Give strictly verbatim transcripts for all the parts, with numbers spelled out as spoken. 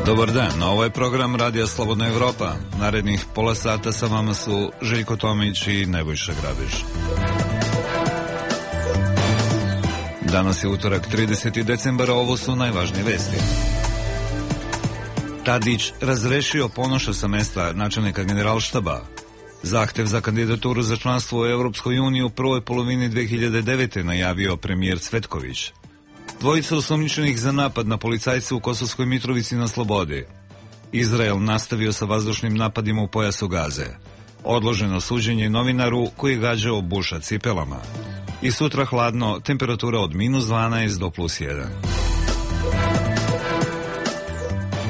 Dobar dan, ovo je program Radija Slobodna Evropa. Narednih pola sata sa vama su Željko Tomić i Nebojša Grabež. Danas je utorak, trideseti decembar, ovo su najvažnije vesti. Tadić razrešio Ponoša sa mesta načelnika Generalštaba. Zahtev za kandidaturu za članstvo u Evropskoj uniji u prvoj polovini dve hiljade devete. najavio premijer Cvetković. Dvojica osumnjičenih za napad na policajce u Kosovskoj Mitrovici na slobodi. Izrael nastavio sa vazdušnim napadima u pojasu Gaze. Odloženo suđenje novinaru koji je gađao Buša cipelama. I sutra hladno, temperatura od minus dvanaest do plus jedan.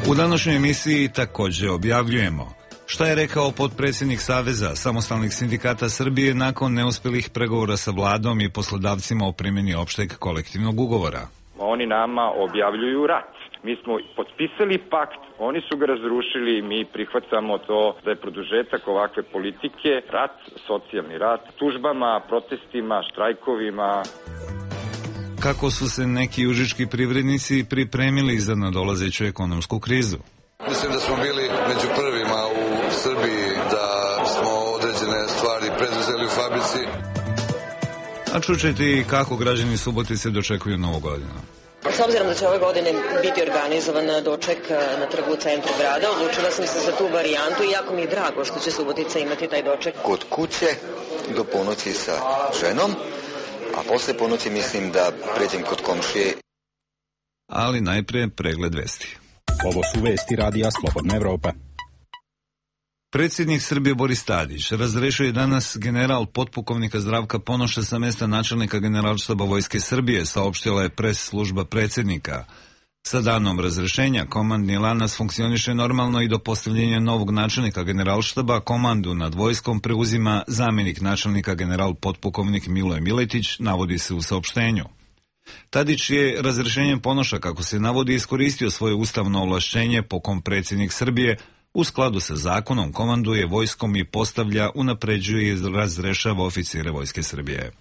U današnjoj emisiji također objavljujemo šta je rekao potpredsjednik Saveza samostalnih sindikata Srbije nakon neuspjelih pregovora sa vladom i poslodavcima o primjeni opšteg kolektivnog ugovora. Oni nama objavljuju rat. Mi smo potpisali pakt, oni su ga razrušili, mi prihvatamo to da je produžetak ovakve politike, rat, socijalni rat, tužbama, protestima, štrajkovima. Kako su se neki užički privrednici pripremili za nadolazeću ekonomsku krizu? Mislim da smo bili među prvima u Srbiji, da smo određene stvari preduzeli u fabrici. A čućete i kako građani Subotice dočekuju Novu godinu. S obzirom da će ove godine biti organizovan doček na trgu u centru grada, odlučila sam se za tu varijantu i jako mi je drago što će Subotica imati taj doček. Kod kuće do ponoći sa ženom, a posle ponoći mislim da pređem kod komšije. Ali najprije pregled vesti. Ovo su vesti Radija Slobodna Evropa. Predsjednik Srbije Boris Tadić razrešio je danas general potpukovnika Zdravka Ponoša sa mesta načelnika Generalštaba Vojske Srbije, saopštila je pres služba predsjednika. Sa danom razrešenja komandni lanac funkcioniše normalno i do postavljenja novog načelnika Generalštaba komandu nad vojskom preuzima zamjenik načelnika general potpukovnik Miloje Miletić, navodi se u saopštenju. Tadić je razrešenjem Ponoša, kako se navodi, iskoristio svoje ustavno ovlašćenje po kom predsjednik Srbije u skladu sa zakonom komanduje vojskom i postavlja, unapređuje i razrešava oficire Vojske Srbije.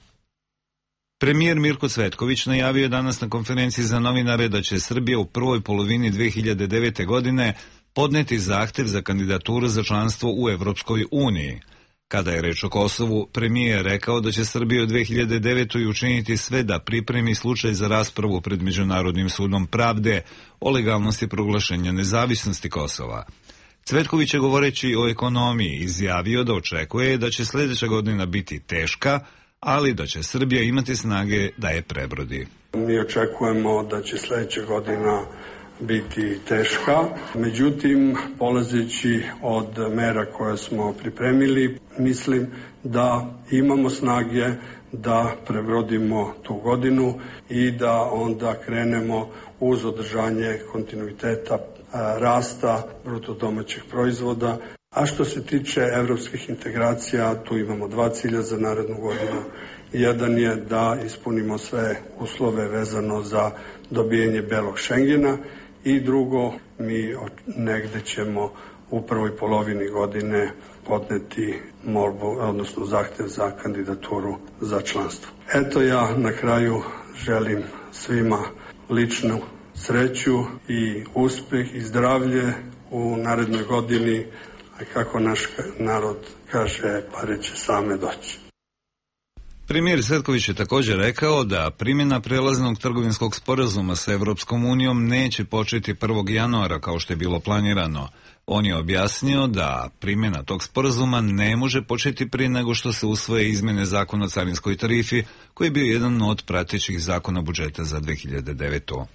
Premijer Mirko Cvetković najavio je danas na konferenciji za novinare da će Srbija u prvoj polovini dve hiljade devete. godine podneti zahtev za kandidaturu za članstvo u Evropskoj uniji. Kada je reč o Kosovu, premijer je rekao da će Srbija u dve hiljade devetoj. učiniti sve da pripremi slučaj za raspravu pred Međunarodnim sudom pravde o legalnosti proglašenja nezavisnosti Kosova. Cvetković je, govoreći o ekonomiji, izjavio da očekuje da će sljedeća godina biti teška, ali da će Srbija imati snage da je prebrodi. Mi očekujemo da će sljedeća godina biti teška, međutim, polazeći od mera koje smo pripremili, mislim da imamo snage da prebrodimo tu godinu i da onda krenemo uz održanje kontinuiteta rasta bruto domaćih proizvoda. A što se tiče evropskih integracija, tu imamo dva cilja za narednu godinu. Jedan je da ispunimo sve uslove vezano za dobijanje belog Šengena i drugo, mi negde ćemo u prvoj polovini godine podneti molbu, odnosno zahtev za kandidaturu za članstvo. Eto, ja na kraju želim svima ličnu sreću i uspjeh i zdravlje u narednoj godini, a kako naš narod kaže, pare će same doći. Premijer Cvetković je također rekao da primjena prelaznog trgovinskog sporazuma sa Evropskom unijom neće početi prvog januara kao što je bilo planirano. On je objasnio da primjena tog sporazuma ne može početi prije nego što se usvoje izmjene zakona o carinskoj tarifi, koji je bio jedan od pratećih zakona budžeta za dve hiljade devetu.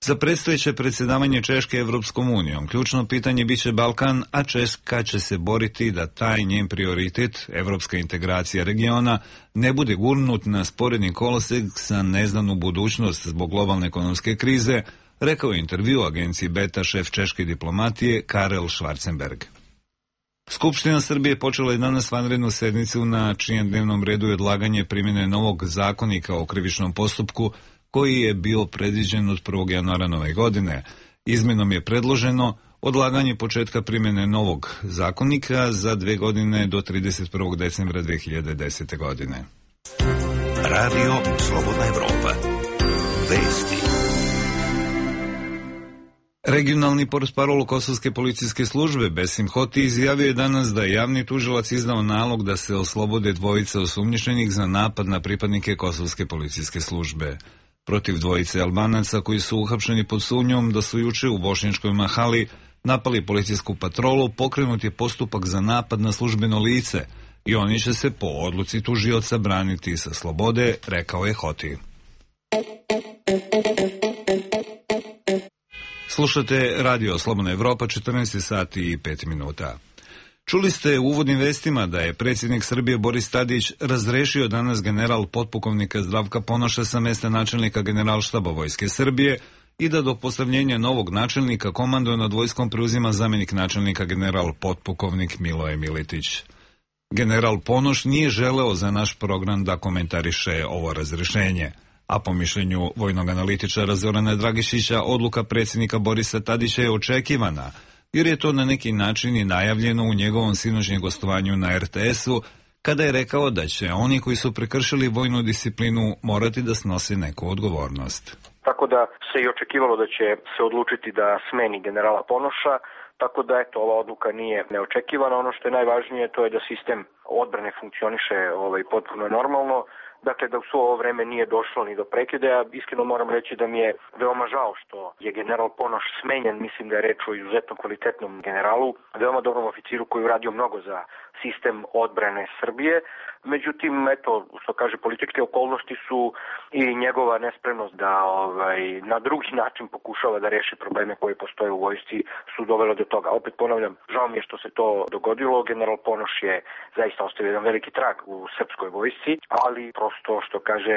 Za predstojeće predsjedavanje Češke Evropskom unijom ključno pitanje biće Balkan, a Češka će se boriti da taj njen prioritet, evropska integracija regiona, ne bude gurnut na sporedni kolosek sa neznanu budućnost zbog globalne ekonomske krize, rekao je intervju agenciji Beta šef češke diplomatije Karel Schwarzenberg. Skupština Srbije počela je danas vanrednu sednicu na čijem dnevnom redu je odlaganje primjene novog zakonika o krivičnom postupku koji je bio predviđen od prvog januara nove godine. Izmenom je predloženo odlaganje početka primjene novog zakonika za dve godine do trideset prvog decembra dve hiljade desete. godine. Radio Slobodna Evropa. Vesti. Regionalni portparol Kosovske policijske službe Besim Hoti izjavio je danas da je javni tužilac izdao nalog da se oslobode dvojice osumnjičenih za napad na pripadnike Kosovske policijske službe. Protiv dvojice Albanaca koji su uhapšeni pod sumnjom da su juče u Bošnjačkoj Mahali napali policijsku patrolu, pokrenut je postupak za napad na službeno lice i oni će se po odluci tužioca braniti sa slobode, rekao je Hoti. Slušate Radio Slobodna Evropa, četrnaest sati i pet minuta. Čuli ste u uvodnim vestima da je predsjednik Srbije Boris Tadić razrešio danas general potpukovnika Zdravka Ponoša sa mesta načelnika Generalštaba Vojske Srbije i da do postavljenja novog načelnika komanduje nad vojskom preuzima zamjenik načelnika general potpukovnik Miloje Miletić. General Ponoš nije želeo za naš program da komentariše ovo razrešenje, a po mišljenju vojnog analitičara Zorana Dragišića odluka predsjednika Borisa Tadića je očekivana, jer je to na neki način i najavljeno u njegovom sinoćnjem gostovanju na er te esu, kada je rekao da će oni koji su prekršili vojnu disciplinu morati da snose neku odgovornost. Tako da se i očekivalo da će se odlučiti da smeni generala Ponoša, tako da eto, ova odluka nije neočekivana. Ono što je najvažnije to je da sistem odbrane funkcioniše ovaj, potpuno normalno. Dakle, da u svo ovo vreme nije došlo ni do prekida. Ja iskreno moram reći da mi je veoma žao što je general Ponoš smenjen. Mislim da je reč o izuzetno kvalitetnom generalu, veoma dobrom oficiru koji je uradio mnogo za sistem odbrane Srbije. Međutim, eto, što kaže, političke okolnosti su i njegova nespremnost da ovaj, na drugi način pokušava da reši probleme koje postoje u vojsci su dovele do toga. Opet ponavljam, žao mi je što se to dogodilo. General Ponoš je zaista ostavio jedan veliki trag u srpskoj vojsci, ali prosto, što kaže,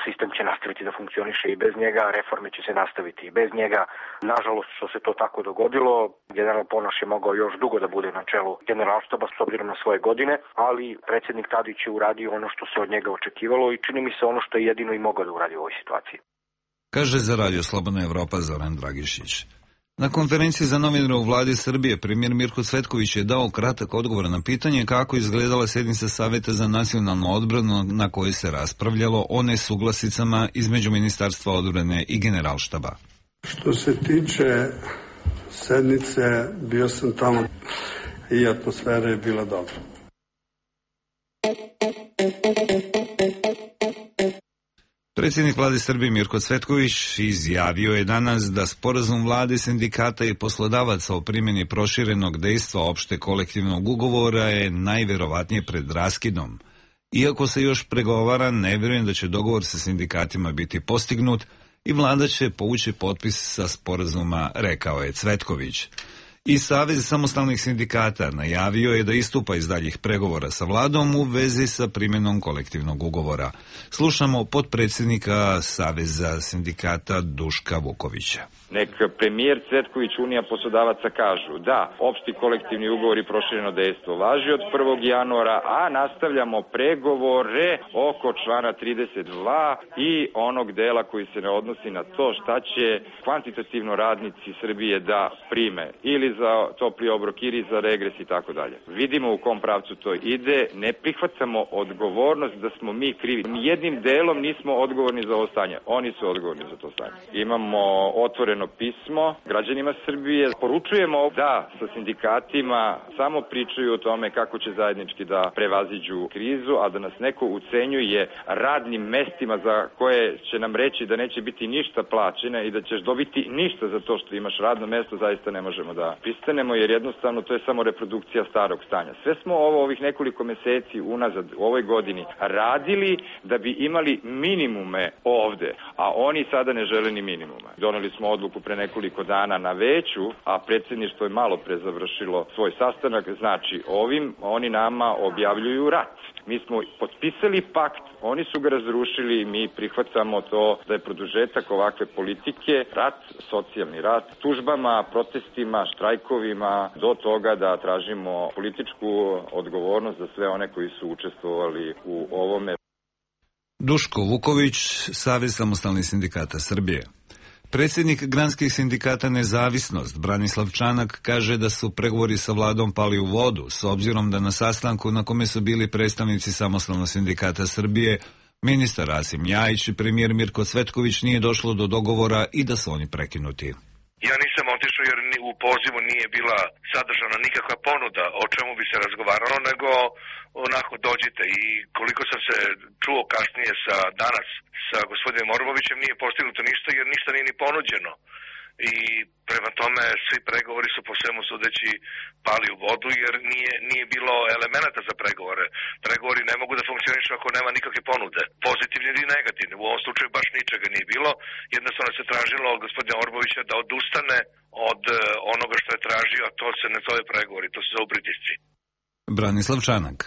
sistem će nastaviti da funkcioniše i bez njega, reforme će se nastaviti i bez njega. Nažalost, što se to tako dogodilo, general Ponoš je mogao još dugo da bude na čelu generalštaba s obzirom na svoje godine, ali predsjednik Tadić je uradio ono što se od njega očekivalo i čini mi se ono što je jedino i mogao da uradi u ovoj situaciji. Kaže za Radio Slobodna Evropa Zoran Dragišić. Na konferenciji za novinare u vladi Srbije premijer Mirko Cvetković je dao kratak odgovor na pitanje kako izgledala sjednica Saveta za nacionalnu odbranu na kojoj se raspravljalo o nesuglasicama između Ministarstva odbrane i Generalštaba. Što se tiče sednice, bio sam tamo i atmosfera je bila dobra. Predsjednik vlade Srbije Mirko Cvetković izjavio je danas da sporazum vlade, sindikata i poslodavaca o primjeni proširenog dejstva opšte kolektivnog ugovora je najverovatnije pred raskidom. Iako se još pregovara, ne vjerujem da će dogovor sa sindikatima biti postignut i vlada će povući potpis sa sporazuma, rekao je Cvetković. I Savez samostalnih sindikata najavio je da istupa iz daljih pregovora sa vladom u vezi sa primjenom kolektivnog ugovora. Slušamo potpredsjednika Saveza sindikata Duška Vukovića. Nek premijer Cvetković, Unija poslodavaca kažu da opšti kolektivni ugovor i prošireno dejstvo važi od prvog januara, a nastavljamo pregovore oko člana trideset dva i onog dela koji se ne odnosi na to šta će kvantitativno radnici Srbije da prime ili za topli obrok ili za regres i tako dalje. Vidimo u kom pravcu to ide, ne prihvatamo odgovornost da smo mi krivi. Jednim delom nismo odgovorni za ovo stanje, oni su odgovorni za to stanje. Imamo otvoreno pismo građanima Srbije. Poručujemo da sa sindikatima samo pričaju o tome kako će zajednički da prevaziđu krizu, a da nas neko ucenjuje radnim mestima za koje će nam reći da neće biti ništa plaćene i da ćeš dobiti ništa za to što imaš radno mesto, zaista ne možemo da pristanemo, jer jednostavno to je samo reprodukcija starog stanja. Sve smo ovo ovih nekoliko meseci unazad u ovoj godini radili da bi imali minimume ovde, a oni sada ne žele ni minimume. Doneli smo odluku pre nekoliko dana na veću, a predsjedništvo je malo pre završilo svoj sastanak, znači ovim oni nama objavljuju rat. Mi smo potpisali pakt, oni su ga razrušili, mi prihvatamo to da je produžetak ovakve politike, rat, socijalni rat, tužbama, protestima, štrajkovima, do toga da tražimo političku odgovornost za sve one koji su učestvovali u ovome. Duško Vuković, Savez samostalnih sindikata Srbije. Predsjednik granskih sindikata Nezavisnost, Branislav Čanak, kaže da su pregovori sa vladom pali u vodu, s obzirom da na sastanku na kome su bili predstavnici Samostalnog sindikata Srbije, ministar Rasim Ljajić i premijer Mirko Cvetković nije došlo do dogovora i da su oni prekinuti. Ja nisam otišao jer u pozivu nije bila sadržana nikakva ponuda o čemu bi se razgovaralo, nego onako dođite. I koliko sam se čuo kasnije sa danas sa gospodinom Orbovićem, nije postignuto ništa jer ništa nije ni ponuđeno. I prema tome svi pregovori su po svemu sudeći pali u vodu jer nije, nije bilo elemenata za pregovore. Pregovori ne mogu da funkcionišu ako nema nikakve ponude, pozitivne ili negativne. U ovom slučaju baš ničega nije bilo. Jednostavno se tražilo od gospodina Orbovića da odustane od onoga što je tražio, a to se ne zove pregovori, to se zove pritisci. Branislav Čanak.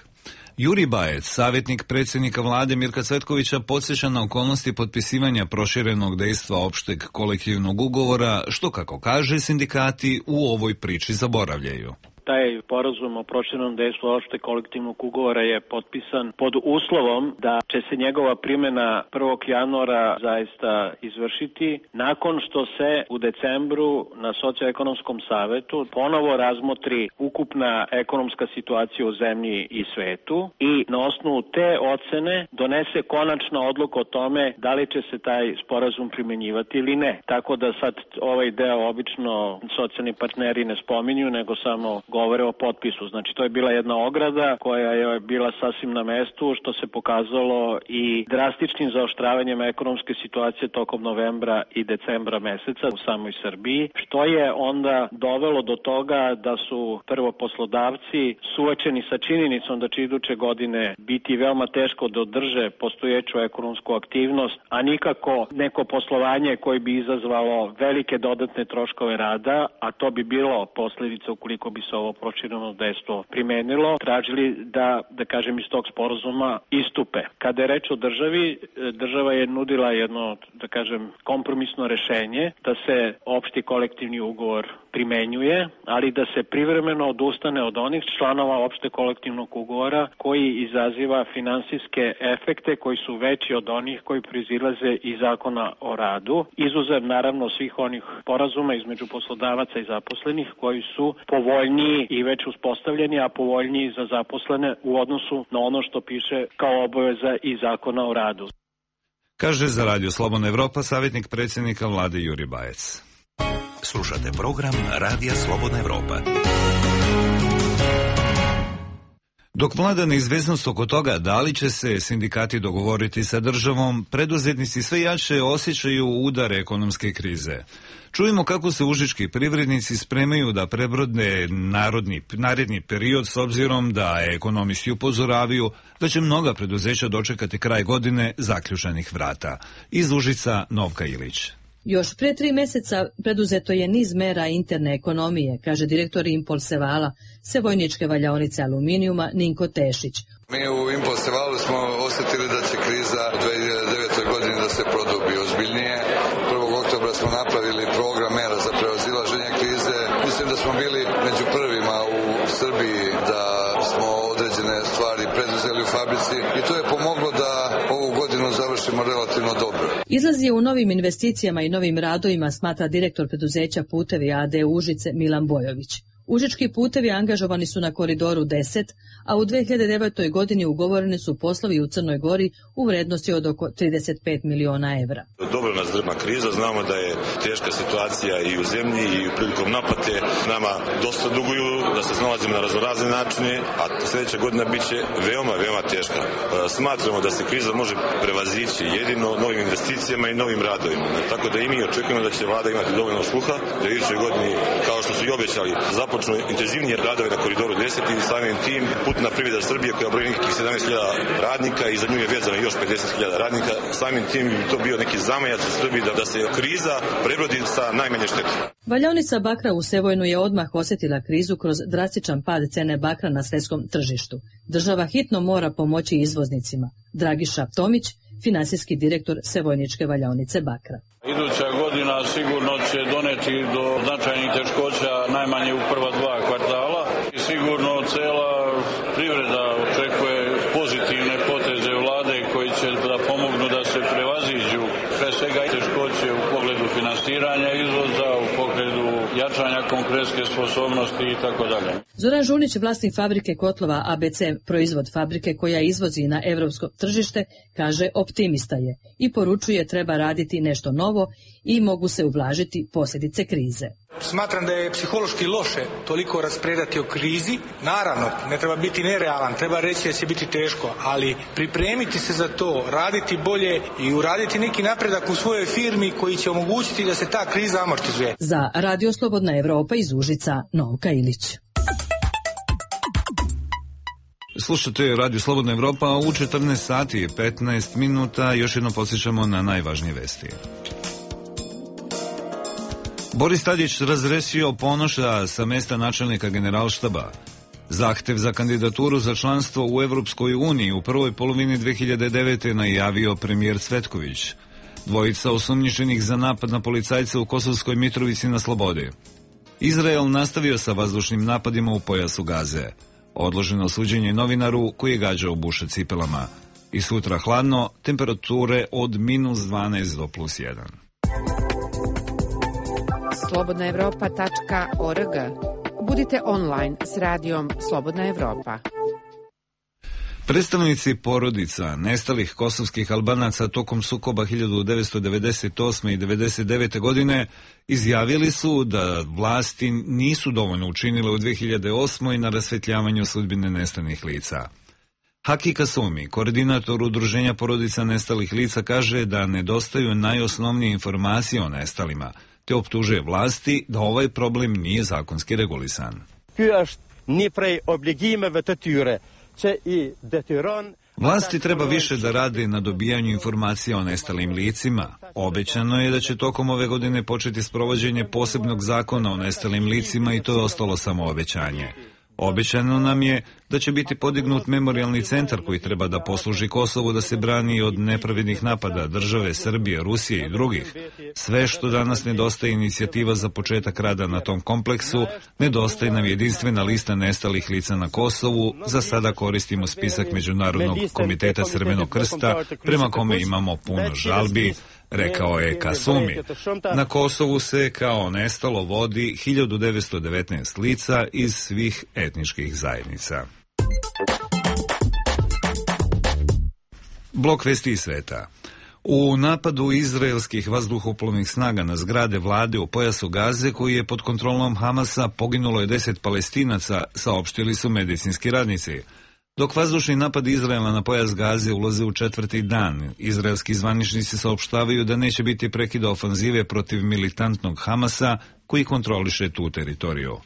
Juri Bajec, savjetnik predsjednika vlade Mirka Cvetkovića, podsjeća na okolnosti potpisivanja proširenog dejstva opšteg kolektivnog ugovora, što, kako kaže, sindikati u ovoj priči zaboravljaju. Taj sporazum o proširenom dejstvu opšteg kolektivnog ugovora je potpisan pod uslovom da će se njegova primjena prvog januara zaista izvršiti nakon što se u decembru na socioekonomskom savetu ponovo razmotri ukupna ekonomska situacija u zemlji i svetu i na osnovu te ocene donese konačna odluka o tome da li će se taj sporazum primjenjivati ili ne. Tako da sad ovaj deo obično socijalni partneri ne spominju, nego samo govore o potpisu. Znači, to je bila jedna ograda koja je bila sasvim na mestu, što se pokazalo i drastičnim zaoštravanjem ekonomske situacije tokom novembra i decembra meseca u samoj Srbiji, što je onda dovelo do toga da su prvo poslodavci suočeni sa činjenicom da će iduće godine biti veoma teško da održe postojeću ekonomsku aktivnost, a nikako neko poslovanje koje bi izazvalo velike dodatne troškove rada, a to bi bilo posljedica ukoliko bi se ovo prošireno dejstvo primenilo, tražili da, da kažem, iz tog sporazuma istupe. Kada je reč o državi, država je nudila jedno, da kažem, kompromisno rešenje da se opšti kolektivni ugovor primenjuje, ali da se privremeno odustane od onih članova opšte kolektivnog ugovora koji izaziva finansijske efekte koji su veći od onih koji proizilaze iz zakona o radu, izuzev naravno svih onih sporazuma između poslodavaca i zaposlenih koji su povoljniji i već uspostavljeni, a povoljniji za zaposlene u odnosu na ono što piše kao obaveza iz zakona o radu. Kaže za Radio Slobodna Evropa savjetnik predsjednika vlade Juri Bajec. Slušate program Radija Slobodna Evropa. Dok vlada neizvesnost oko toga da li će se sindikati dogovoriti sa državom, preduzetnici sve jače osjećaju udar ekonomske krize. Čujemo kako se užički privrednici spremaju da prebrode narodni, naredni period s obzirom da ekonomisti upozoravaju da će mnoga preduzeća dočekati kraj godine zaključanih vrata. Iz Užica Novka Ilić. Još pre tri meseca preduzeto je niz mera interne ekonomije, kaže direktor Impolsevala, Sevojničke valjaonice aluminijuma Ninko Tešić. Mi u Impolsevalu smo osjetili da će kriza u dve hiljade devetoj godini da se produbi ozbiljnije. prvog oktobra smo napravili program mera za prevazilaženje krize. Mislim da smo bili među prvima u Srbiji da smo određene stvari preduzeli u fabrici i to je pomoglo da ovu godinu završimo relativno dobro. Izlaz je u novim investicijama i novim radovima, smatra direktor preduzeća Putevi A D Užice Milan Bojović. Užički putevi angažovani su na koridoru deset, a u dve hiljade devetoj godini ugovoreni su poslovi u Crnoj Gori u vrednosti od oko trideset pet miliona evra. Dobro nas drma kriza, znamo da je teška situacija i u zemlji i prilikom naplate. Nama dosta duguju, da se snalazimo na raznorazne načine, a sljedeća godina bit će veoma, veoma teška. Smatramo da se kriza može prevazići jedino novim investicijama i novim radovima. Tako da i mi očekujemo da će vlada imati dovoljno sluha, da u idućoj godini, kao što su i obećali, započnu intenzivnije radove na koridoru deset i samim tim putna privreda Srbije koja broji nekih sedamnaest hiljada radnika i za nju je vezano još pedeset hiljada radnika. Samim tim bi to bio neki zamajac u Srbiji da, da se kriza prebrodi sa najmanje štete. Valjaonica bakra u Sevojnu je odmah osjetila krizu kroz drastičan pad cene bakra na svetskom tržištu. Država hitno mora pomoći izvoznicima. Dragiša Tomić, finansijski direktor Sevojničke valjaonice bakra. Iduća godina sigurno će doneti do značajnih teškoća najmanje u prva dva kvartala i sigurno cela privreda očekuje pozitivne poteze vlade koji će da pomognu da se prevaziđu pre svega teškoće u pogledu finansiranja izvoza, u pogledu jačanja konkurentske sposobnosti autonomnosti i tako dalje. Zoran Žunić, vlasnik fabrike kotlova A B C, proizvod fabrike koja izvozi na evropsko tržište, kaže optimista je i poručuje treba raditi nešto novo i mogu se ublažiti posljedice krize. Smatram da je psihološki loše toliko raspredati o krizi. Naravno, ne treba biti nerealan, treba reći da će biti teško, ali pripremiti se za to, raditi bolje i uraditi neki napredak u svojoj firmi koji će omogućiti da se ta kriza amortizuje. Za Radio Slobodna Evropa iz Užica, Novka Ilić. Slušate Radio Slobodna Evropa, u četrnaest sati i petnaest minuta još jedno podsjećamo na najvažnije vesti. Boris Tadić razrešio Ponoša sa mesta načelnika Generalštaba. Zahtev za kandidaturu za članstvo u Evropskoj uniji u prvoj polovini dve hiljade devete. najavio premijer Cvetković. Dvojica osumnjičenih za napad na policajca u Kosovskoj Mitrovici na slobodi. Izrael nastavio sa vazdušnim napadima u pojasu Gaze. Odloženo suđenje novinaru koji je gađao Buša cipelama. I sutra hladno, temperature od minus dvanaest do plus jedan. slobodna evropa tačka org. Budite online s radijom Slobodna Evropa. Predstavnici porodica nestalih kosovskih Albanaca tokom sukoba hiljadu devetsto devedeset osme. i devedeset devete. godine izjavili su da vlasti nisu dovoljno učinile u dve hiljade osmoj. na rasvetljavanju sudbine nestalih lica. Haki Kasumi, koordinator udruženja porodica nestalih lica, kaže da nedostaju najosnovnije informacije o nestalima, te optužuje vlasti da ovaj problem nije zakonski regulisan. Vlasti treba više da rade na dobijanju informacija o nestalim licima. Obećano je da će tokom ove godine početi sprovođenje posebnog zakona o nestalim licima i to je ostalo samo obećanje. Obećano nam je da će biti podignut memorijalni centar koji treba da posluži Kosovu da se brani od nepravednih napada države Srbije, Rusije i drugih. Sve što danas nedostaje inicijativa za početak rada na tom kompleksu, nedostaje nam jedinstvena lista nestalih lica na Kosovu, za sada koristimo spisak Međunarodnog komiteta Crvenog krsta, prema kome imamo puno žalbi, rekao je Kasumi. Na Kosovu se kao nestalo vodi hiljadu devetsto devetnaest lica iz svih etničkih zajednica. Blok vesti iz sveta. U napadu izraelskih vazduhoplovnih snaga na zgrade vlade u pojasu Gaze, koji je pod kontrolom Hamasa, poginulo je deset Palestinaca, saopštili su medicinski radnici. Dok vazdušni napad Izraela na pojas Gaze ulaze u četvrti dan, izraelski zvaničnici saopštavaju da neće biti prekida ofanzive protiv militantnog Hamasa koji kontroliše tu teritoriju.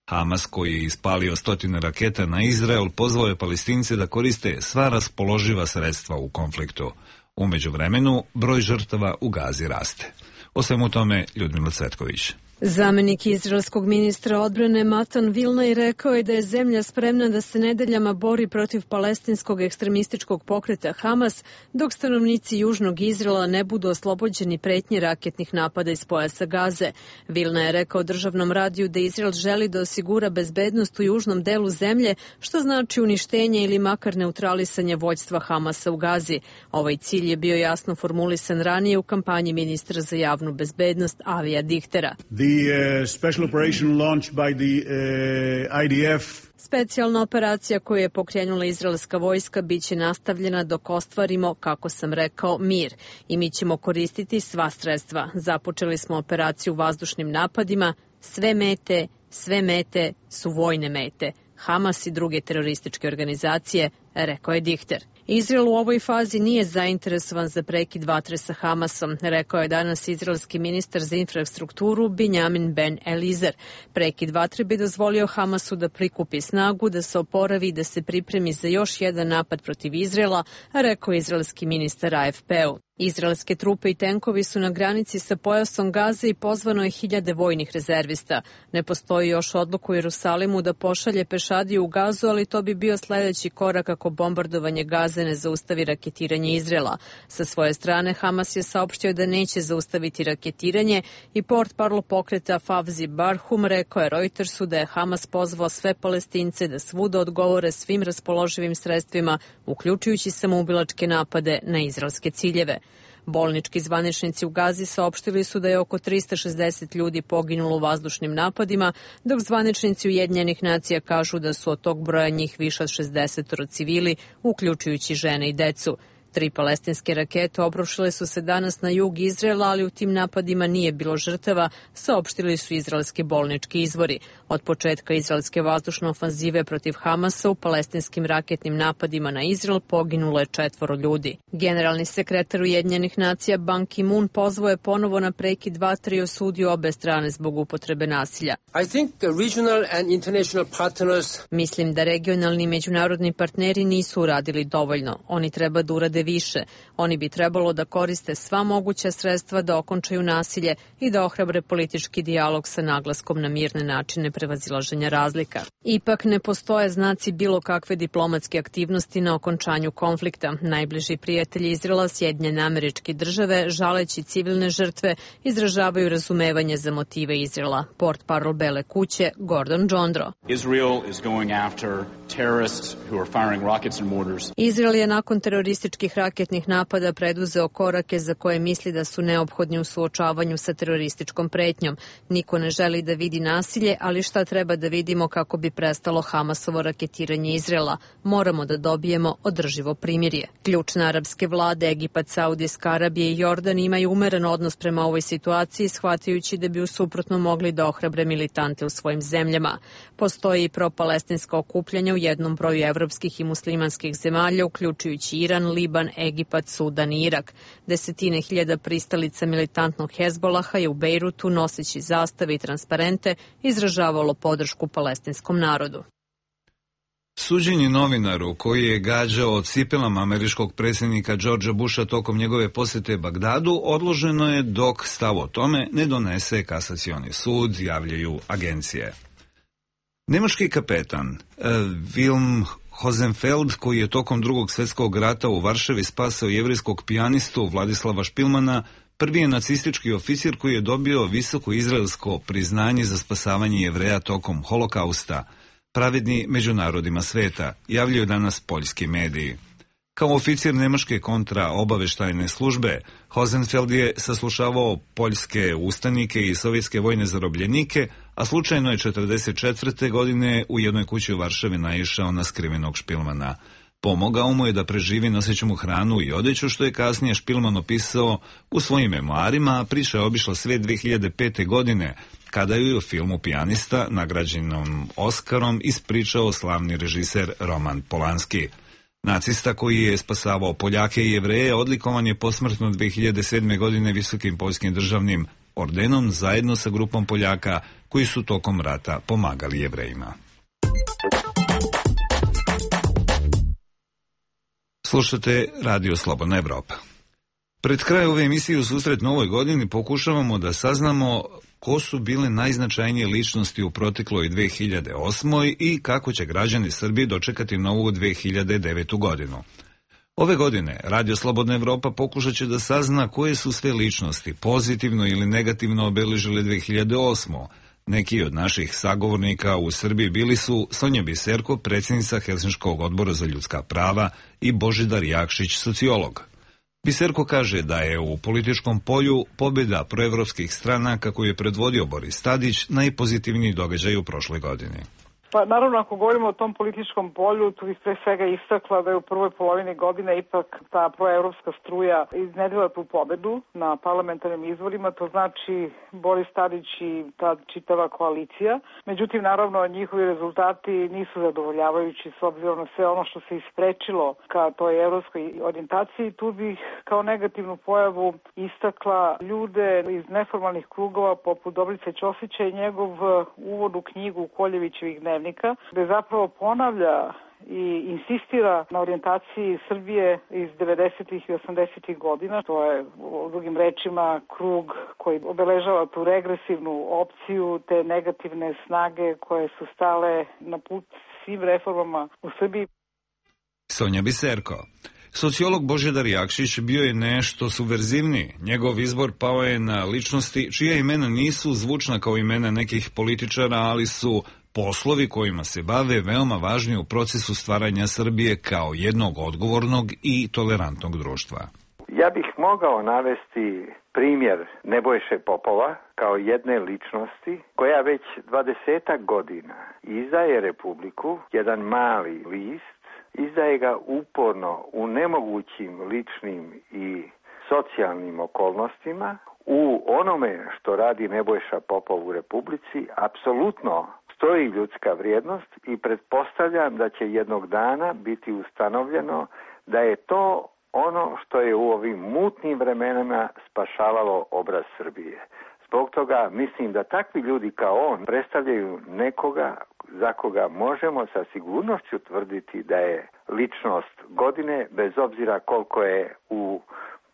Hamas, koji je ispalio stotine raketa na Izrael, pozvao je Palestince da koriste sva raspoloživa sredstva u konfliktu. U međuvremenu, broj žrtava u Gazi raste. O svemu tome Ljudmila Cvetković. Zamenik izraelskog ministra odbrane Matan Vilnaj rekao je da je zemlja spremna da se nedeljama bori protiv palestinskog ekstremističkog pokreta Hamas, dok stanovnici južnog Izraela ne budu oslobođeni pretnje raketnih napada iz pojasa Gaze. Vilnaj je rekao državnom radiju da Izrael želi da osigura bezbednost u južnom delu zemlje, što znači uništenje ili makar neutralisanje vođstva Hamasa u Gazi. Ovaj cilj je bio jasno formulisan ranije u kampanji ministra za javnu bezbednost Avija Dihtera. The uh, special operation launched by the uh, I D F. Specijalna operacija koju je pokrenula izraelska vojska biće nastavljena dok ostvarimo, kako sam rekao, mir. I mi ćemo koristiti sva sredstva. Započeli smo operaciju vazdušnim napadima. Sve mete, sve mete su vojne mete. Hamas i druge terorističke organizacije, rekao je Dihter. Izrael u ovoj fazi nije zainteresovan za prekid vatre sa Hamasom, rekao je danas izraelski ministar za infrastrukturu Binjamin Ben Elizer. Prekid vatre bi dozvolio Hamasu da prikupi snagu, da se oporavi i da se pripremi za još jedan napad protiv Izraela, rekao je izraelski ministar A F P-u. Izraelske trupe i tenkovi su na granici sa pojasom Gaze i pozvano je hiljade vojnih rezervista. Ne postoji još odluka u Jerusalimu da pošalje pešadiju u Gazu, ali to bi bio sledeći korak ako bombardovanje Gaze ne zaustavi raketiranje Izraela. Sa svoje strane, Hamas je saopštio da neće zaustaviti raketiranje i portparol pokreta Favzi Barhum rekao je Reutersu da je Hamas pozvao sve Palestince da svuda odgovore svim raspoloživim sredstvima, uključujući samoubilačke napade na izraelske ciljeve. Bolnički zvaničnici u Gazi saopštili su da je oko trista šezdeset ljudi poginulo u vazdušnim napadima, dok zvaničnici Ujedinjenih nacija kažu da su od tog broja njih više od šezdeset civili, uključujući žene i decu. Tri palestinske rakete obrušile su se danas na jug Izraela, ali u tim napadima nije bilo žrtava, saopštili su izraelski bolnički izvori. Od početka izraelske vazdušne ofanzive protiv Hamasa u palestinskim raketnim napadima na Izrael poginulo je četvoro ljudi. Generalni sekretar Ujedinjenih nacija Ban Ki-moon pozvao je ponovo na prekid vatre i osudio obe strane zbog upotrebe nasilja. I think the regional and international partners... Mislim da regionalni i međunarodni partneri nisu uradili dovoljno. Oni treba da urade više. Oni bi trebalo da koriste sva moguća sredstva da okončaju nasilje i da ohrabre politički dijalog sa naglaskom na mirne načine prevazilaženja razlika. Ipak ne postoje znaci bilo kakve diplomatske aktivnosti na okončanju konflikta. Najbliži prijatelji Izraela, Sjedinjene Američke Države, žaleći civilne žrtve, izražavaju razumevanje za motive Izraela. Portparol Bele kuće Gordon Jondro. Israel is going after terrorists who are firing rockets and mortars. Izrael je nakon terorističkih raketnih napada preduzeo korake za koje misli da su neophodni u suočavanju sa terorističkom pretnjom. Niko ne želi da vidi nasilje, ali šta treba da vidimo kako bi prestalo Hamasovo raketiranje Izraela? Moramo da dobijemo održivo primirje. Ključne arapske vlade Egipat, Saudijska Arabija i Jordan imaju umeren odnos prema ovoj situaciji, shvatajući da bi u suprotno mogli da ohrabre militante u svojim zemljama. Postoji i propalestinska okupljanja u jednom broju evropskih i muslimanskih zemalja, uključujući Iran, Liban, Egipat, Sudan i Irak. Desetine hiljada pristalica militantnog Hezbolaha je u Bejrutu, noseći zastave i transparente, izražavalo podršku palestinskom narodu. Suđenje novinaru koji je gađao cipelama američkog predsjednika Georgea Busha tokom njegove posjete Bagdadu odloženo je dok stav o tome ne donese kasacioni sud, javljaju agencije. Nemački kapetan uh, Wilhelm Hosenfeld, koji je tokom drugog svjetskog rata u Varšavi spasao jevrijskog pijanistu Vladislava Špilmana, prvi je nacistički oficir koji je dobio visoko izraelsko priznanje za spasavanje Jevreja tokom holokausta, pravedni među narodima sveta, javljaju danas poljski mediji. Kao oficir nemačke kontraobaveštajne službe, Hosenfeld je saslušavao poljske ustanike i sovjetske vojne zarobljenike, a slučajno je četrdeset četvrte godine u jednoj kući u Varšavi naišao na skrivenog Špilmana. Pomogao mu je da preživi noseći mu hranu i odeću, što je kasnije Špilman opisao u svojim memoarima, a priča je obišla svijet dve hiljade pete. godine, kada je u filmu Pijanista, nagrađenom Oskarom, ispričao slavni režiser Roman Polanski. Nacista koji je spasavao Poljake i Jevreje odlikovan je posmrtno dve hiljade sedme. godine visokim poljskim državnim ordenom zajedno sa grupom Poljaka koji su tokom rata pomagali Jevrejima. Slušate Radio Slobodna Evropa. Pred kraj ove emisije u susret novoj godini pokušavamo da saznamo ko su bile najznačajnije ličnosti u protekloj dve hiljade osmoj. i kako će građani Srbije dočekati novu dve hiljade devetu. godinu. Ove godine Radio Slobodna Evropa pokušat će da sazna koje su sve ličnosti pozitivno ili negativno obeležile dve hiljade osmu. Neki od naših sagovornika u Srbiji bili su Sonja Biserko, predsjednica Helsinškog odbora za ljudska prava, i Božidar Jakšić, sociolog. Biserko kaže da je u političkom polju pobjeda proevropskih stranaka koju je predvodio Boris Tadić najpozitivniji događaj u prošloj godini. Pa naravno, ako govorimo o tom političkom polju, tu bih pre svega istakla da je u prvoj polovini godine ipak ta proevropska struja iznedrila tu pobedu na parlamentarnim izborima, to znači Boris Tadić i ta čitava koalicija. Međutim, naravno, njihovi rezultati nisu zadovoljavajući s obzirom na sve ono što se isprečilo ka toj evropskoj orijentaciji. Tu bih kao negativnu pojavu istakla ljude iz neformalnih krugova poput Dobrice Ćosića i njegov uvod u knjigu Koljevićevih dnevnika, gde zapravo ponavlja i insistira na orijentaciji Srbije iz devedesetih i osamdesetih godina. To je, u drugim rečima, krug koji obeležava tu regresivnu opciju, te negativne snage koje su stale na put svim reformama u Srbiji. Sonja Biserko. Sociolog Božidar Jakšić bio je nešto subverzivniji. Njegov izbor pao je na ličnosti čija imena nisu zvučna kao imena nekih političara, ali su poslovi kojima se bave veoma važni u procesu stvaranja Srbije kao jednog odgovornog i tolerantnog društva. Ja bih mogao navesti primjer Nebojše Popova kao jedne ličnosti koja već dvadesetak godina izdaje Republiku, jedan mali list, izdaje ga uporno u nemogućim ličnim i socijalnim okolnostima. U onome što radi Nebojša Popov u Republici apsolutno stoji ljudska vrijednost i pretpostavljam da će jednog dana biti ustanovljeno da je to ono što je u ovim mutnim vremenima spašavalo obraz Srbije. Zbog toga mislim da takvi ljudi kao on predstavljaju nekoga za koga možemo sa sigurnošću tvrditi da je ličnost godine, bez obzira koliko je u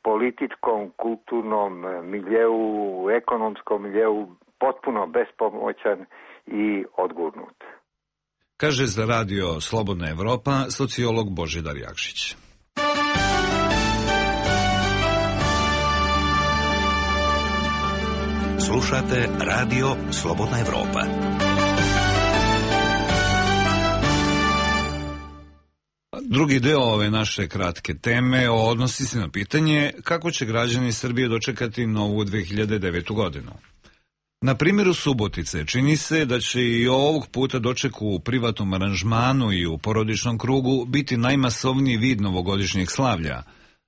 političkom, kulturnom miljeu, ekonomskom miljeu potpuno bespomoćan i odgurnut. Kaže za radio Slobodna Evropa sociolog Božidar Jakšić. Slušate radio Slobodna Evropa. Drugi deo ove naše kratke teme odnosi se na pitanje kako će građani Srbije dočekati novu dve hiljade devetu godinu. Na primjeru Subotice čini se da će i ovog puta doček u privatnom aranžmanu i u porodičnom krugu biti najmasovniji vid novogodišnjeg slavlja.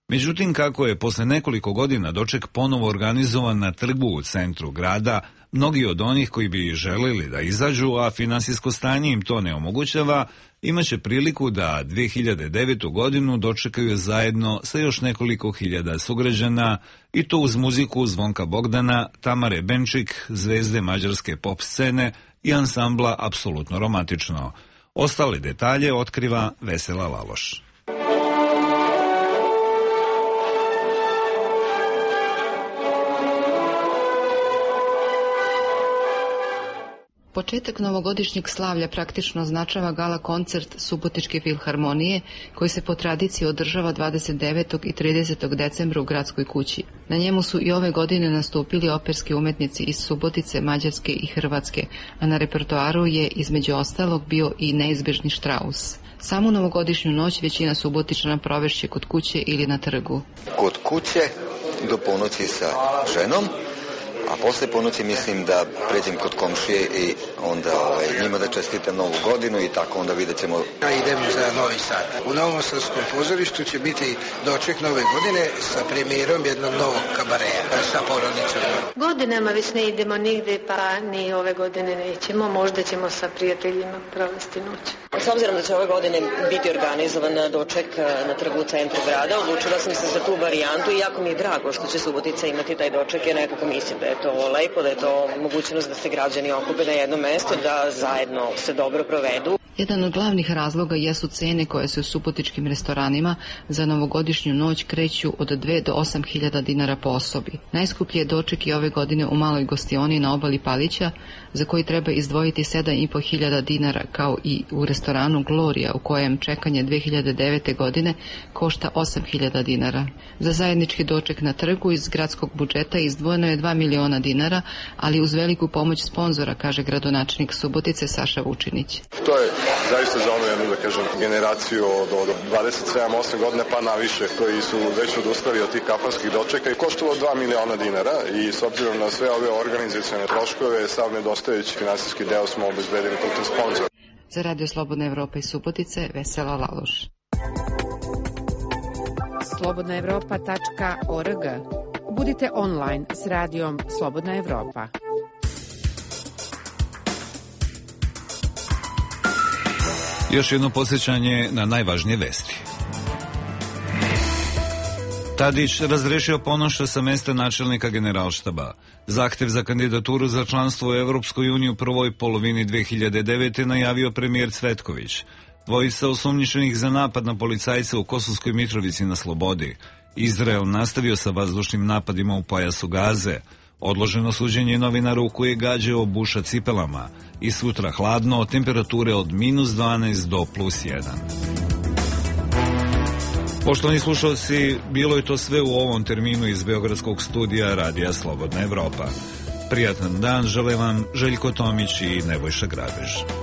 Međutim, kako je posle nekoliko godina doček ponovo organizovan na trgu u centru grada, mnogi od onih koji bi želeli da izađu, a finansijsko stanje im to ne omogućava, imaće priliku da dve hiljade devetu godinu dočekaju zajedno sa još nekoliko hiljada sugrađana, i to uz muziku Zvonka Bogdana, Tamare Benčik, zvezde mađarske pop scene i ansambla Apsolutno romantično. Ostale detalje otkriva Vesela Laloš. Početak novogodišnjeg slavlja praktično označava gala koncert Subotičke filharmonije koji se po tradiciji održava dvadeset devetog i tridesetog decembra u Gradskoj kući. Na njemu su i ove godine nastupili operski umetnici iz Subotice, Mađarske i Hrvatske, a na repertoaru je između ostalog bio i neizbežni Štraus. Samu novogodišnju noć većina Subotičana provešće kod kuće ili na trgu. Kod kuće do ponoći sa ženom, a posle ponoći mislim da pređem kod komšije i onda ovaj, njima da čestitam novu godinu i tako onda vidjet ćemo. Ja idem za Novi Sad. U Novom Sadskom pozorištu će biti doček nove godine sa premijerom jednog novog kabareja sa porodicom. Godinama već ne idemo nigde, pa ni ove godine nećemo. Možda ćemo sa prijateljima provesti noć. S obzirom da će ove godine biti organizovan doček na trgu u centru grada, odlučila sam se za tu varijantu i jako mi je drago što će Subotica imati taj doček, jer nekako mislim da je to lepo, da je to mogućnost da se građani okupe na jedno mesto, da zajedno se dobro provedu. Jedan od glavnih razloga jesu cene koje se u subotičkim restoranima za novogodišnju noć kreću od dve do osam hiljada dinara po osobi. Najskuplji je doček i ove godine u maloj gostioni na obali Palića, za koji treba izdvojiti sedam i po hiljada dinara, kao i u restoranu Gloria, u kojem čekanje dve hiljade devete godine košta osam hiljada dinara. Za zajednički doček na trgu iz gradskog budžeta izdvojeno je dva miliona dinara, ali uz veliku pomoć sponzora, kaže gradonačelnik Subotice Saša Vučinić. To je zaista za onu jednu, da kažem, generaciju od, od dvadeset sedam osam godine pa naviše, koji su već odustali od tih kafanskih dočeka i koštalo dva miliona dinara, i s obzirom na sve ove organizacione troškove, sav nedostajući finansijski deo smo obezbedili putem sponzora. Za Radio Slobodna Evropa iz Subotice, Vesela Laloš. slobodna evropa tačka org. Budite online s radijom Slobodna Evropa. Još jedno podsjećanje na najvažnije vesti. Tadić razrešio Ponoša sa mesta načelnika Generalštaba. Zahtev za kandidaturu za članstvo u Evropskoj uniji u prvoj polovini dve hiljade devete najavio premijer Cvetković. Dvojica osumnjičenih za napad na policajce u Kosovskoj Mitrovici na slobodi. Izrael nastavio sa vazdušnim napadima u pojasu Gaze. Odloženo suđenje novinaru koji je gađao Buša cipelama. I sutra hladno, temperature od minus dvanaest do plus jedan. Poštovani slušalci, bilo je to sve u ovom terminu iz Beogradskog studija Radija Slobodna Evropa. Prijatan dan žele vam Željko Tomić i Nebojša Grabež.